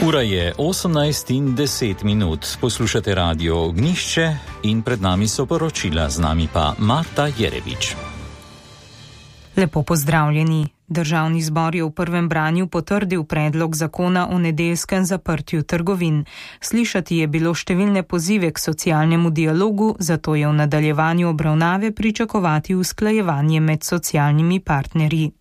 Ura je 18:10. Poslušate Radio Ognjišče in pred nami so poročila, z nami pa Marta Jerevič. Lepo pozdravljeni. Državni zbor je v prvem branju potrdil predlog zakona o nedeljskem zaprtju trgovin. Slišati je bilo številne pozive k socialnemu dialogu, zato je v nadaljevanju obravnave pričakovati usklajevanje med socialnimi partnerji.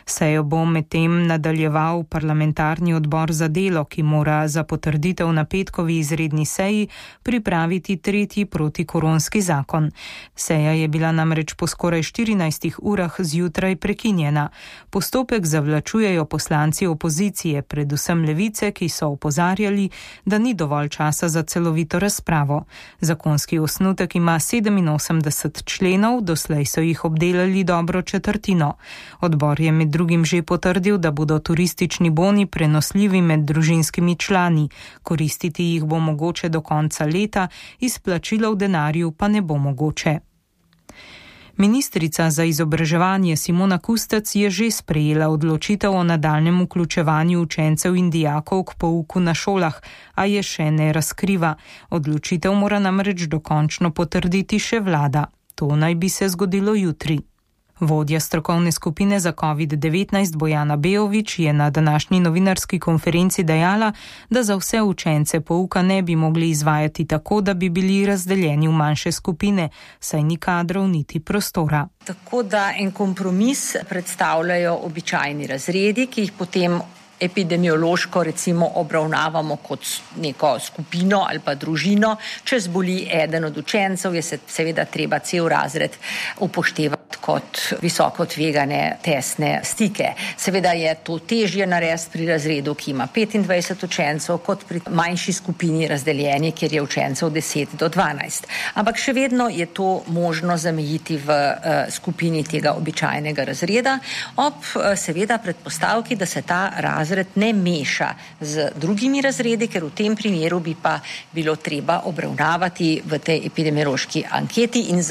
Sejo bo medtem nadaljeval parlamentarni odbor za delo, ki mora za potrditev na petkovi izredni seji pripraviti tretji protikoronski zakon. Seja je bila namreč po skoraj 14 urah zjutraj prekinjena. Postopek zavlačujejo poslanci opozicije, predvsem Levice, ki so opozarjali, da ni dovolj časa za celovito razpravo. Zakonski osnutek ima 87 členov, doslej so jih obdelali dobro četrtino. Odbor je med drugim že potrdil, da bodo turistični boni prenosljivi med družinskimi člani. Koristiti jih bo mogoče do konca leta, izplačilo v denarju pa ne bo mogoče. Ministrica za izobraževanje Simona Kustec je že sprejela odločitev o nadaljnjem vključevanju učencev in dijakov k pouku na šolah, a je še ne razkriva. Odločitev mora namreč dokončno potrditi še vlada. To naj bi se zgodilo jutri. Vodja strokovne skupine za COVID-19 Bojana Beović je na današnji novinarski konferenci dejala, da za vse učence pouka ne bi mogli izvajati tako, da bi bili razdeljeni v manjše skupine, saj ni kadrov niti prostora. Tako da en kompromis predstavljajo običajni razredi, ki jih potem epidemiološko recimo obravnavamo kot neko skupino ali pa družino. Če zboli eden od učencev, je seveda treba cel razred upoštevati kot visoko tvegane tesne stike. Seveda je to težje narediti pri razredu, ki ima 25 učencev, kot pri manjši skupini razdeljeni, kjer je učencev 10 do 12. Ampak še vedno je to možno zamejiti v skupini tega običajnega razreda, ob seveda predpostavki, da se ta razred ne meša z drugimi razredi, ker v tem primeru bi pa bilo treba obravnavati v tej epidemiološki anketi in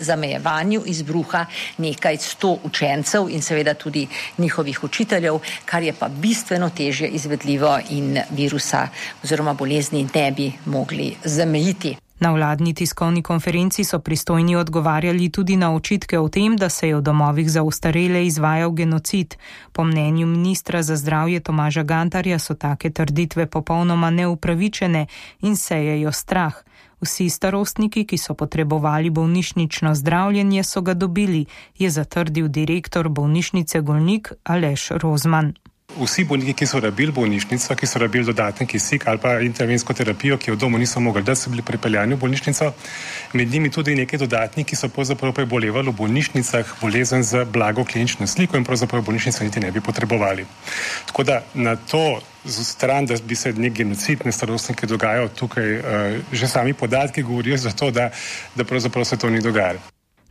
zamejevanju izbruha nekaj 100 učencev in seveda tudi njihovih učiteljev, kar je pa bistveno težje izvedljivo in virusa oziroma bolezni ne bi mogli zamejiti. Na vladni tiskovni konferenci so pristojni odgovarjali tudi na očitke o tem, da se je v domovih za ostarele izvajal genocid. Po mnenju ministra za zdravje Tomaža Gantarja so take trditve popolnoma neupravičene in sejejo strah. Vsi starostniki, ki so potrebovali bolnišnično zdravljenje, so ga dobili, je zatrdil direktor bolnišnice Golnik Aleš Rozman. Vsi bolniki, ki so rabili bolnišnico, ki so rabili dodaten kisik ali pa intervensko terapijo, ki jo v domu niso mogli, da so bili pripeljani v bolnišnico, med njimi tudi nekaj dodatnih, ki so pravzaprav prebolevali v bolnišnicah bolezen z blago klinično sliko in pravzaprav bolnišnico niti ne bi potrebovali. Tako da na to stran, da bi se nek genocid na starostnike dogajal tukaj, že sami podatki govorijo za to, da pravzaprav se to ni dogajalo.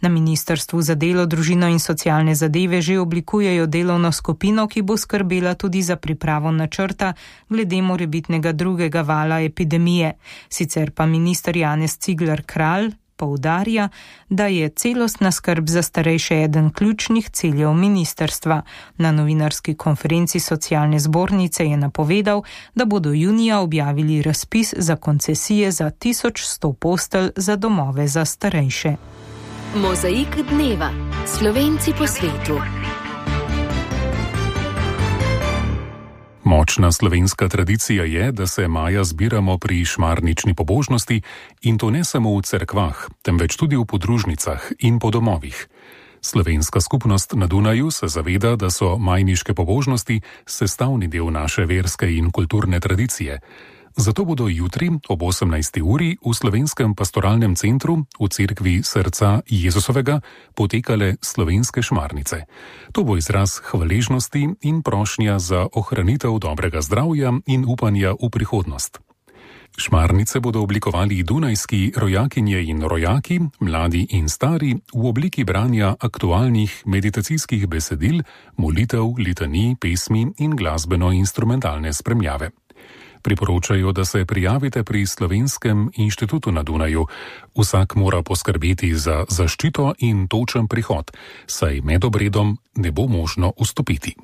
Na Ministrstvu za delo, družino in socialne zadeve že oblikujejo delovno skupino, ki bo skrbela tudi za pripravo načrta glede morebitnega drugega vala epidemije. Sicer pa minister Janez Cigler Kralj poudarja, da je celostna skrb za starejše eden ključnih ciljev ministrstva. Na novinarski konferenci socialne zbornice je napovedal, da bodo junija objavili razpis za koncesije za 1100 postelj za domove za starejše. Mozaik dneva. Slovenci po svetu. Močna slovenska tradicija je, da se maja zbiramo pri šmarnični pobožnosti in to ne samo v cerkvah, temveč tudi v podružnicah in po domovih. Slovenska skupnost na Dunaju se zaveda, da so majniške pobožnosti sestavni del naše verske in kulturne tradicije. Zato bodo jutri ob 18. uri v Slovenskem pastoralnem centru v cerkvi Srca Jezusovega potekale slovenske šmarnice. To bo izraz hvaležnosti in prošnja za ohranitev dobrega zdravja in upanja v prihodnost. Šmarnice bodo oblikovali dunajski rojakinje in rojaki, mladi in stari, v obliki branja aktualnih meditacijskih besedil, molitev, litanij, pesmi in glasbeno-instrumentalne spremljave. Priporočajo, da se prijavite pri Slovenskem inštitutu na Dunaju. Vsak mora poskrbeti za zaščito in točen prihod, saj med obredom ne bo možno vstopiti.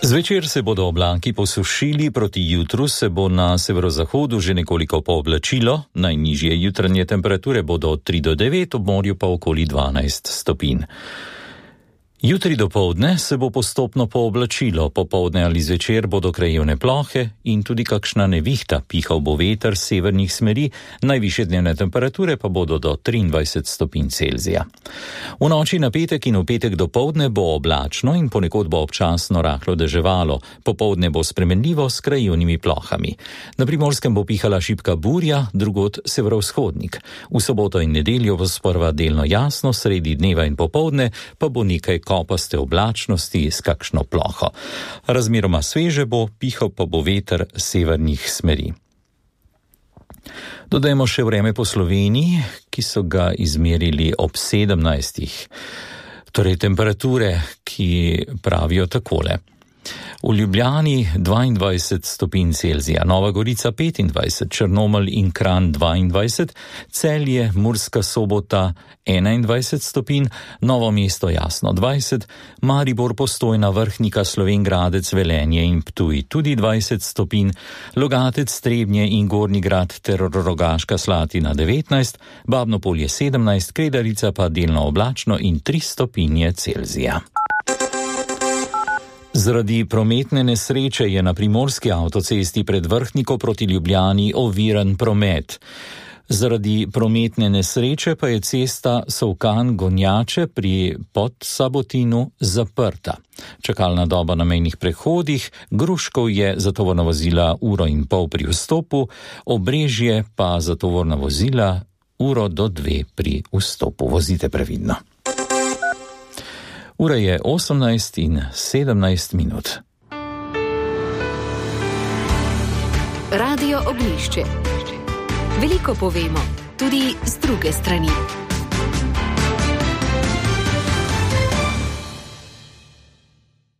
Zvečer se bodo oblaki posušili, proti jutru se bo na severozahodu že nekoliko pooblačilo, najnižje jutranje temperature bodo od 3 do 9, ob morju pa okoli 12 stopinj. Jutri dopoldne se bo postopno pooblačilo, popoldne ali zvečer bodo krajevne plohe in tudi kakšna nevihta, pihal bo veter severnih smeri, najvišje dnevne temperature pa bodo do 23 stopinj Celzija. V noči na petek in v petek dopoldne bo oblačno in ponekod bo občasno rahlo deževalo, popoldne bo spremenljivo s krajevnimi plohami. Na Primorskem bo pihala šibka burja, drugod severovzhodnik. V soboto in nedeljo bo sprva delno jasno, sredi dneva in popoldne pa bo nekaj kopaste oblačnosti s kakšno ploho. Razmeroma sveže bo, pihal pa bo veter severnih smeri. Dodajmo še vreme po Sloveniji, ki so ga izmerili ob 17. Torej temperature, ki pravijo takole. V Ljubljani 22 stopinj Celzija, Nova Gorica 25, Črnomelj in Kranj 22, Celje, Murska Sobota 21 stopinj, Novo mesto jasno 20, Maribor, Postojna, Vrhnika, Slovenj Gradec, Velenje in Ptuj tudi 20 stopinj, Logatec, Trebnje in Gornji Grad ter Rogaška Slatina 19, Babno Polje 17, Kredarica pa delno oblačno in 3 stopinje Celzija. Zaradi prometne nesreče je na primorski avtocesti pred Vrhniko proti Ljubljani oviran promet. Zaradi prometne nesreče pa je cesta Solkan-Gonjače pri Podsabotinu zaprta. Čakalna doba na mejnih prehodih, Gruškov je za tovorna vozila 1,5 ure pri vstopu, Obrežje pa za tovorna vozila 1 do 2 pri vstopu. Vozite previdno. Ura je 18 in 17 minut. Radio Ognjišče. Veliko povemo, tudi z druge strani.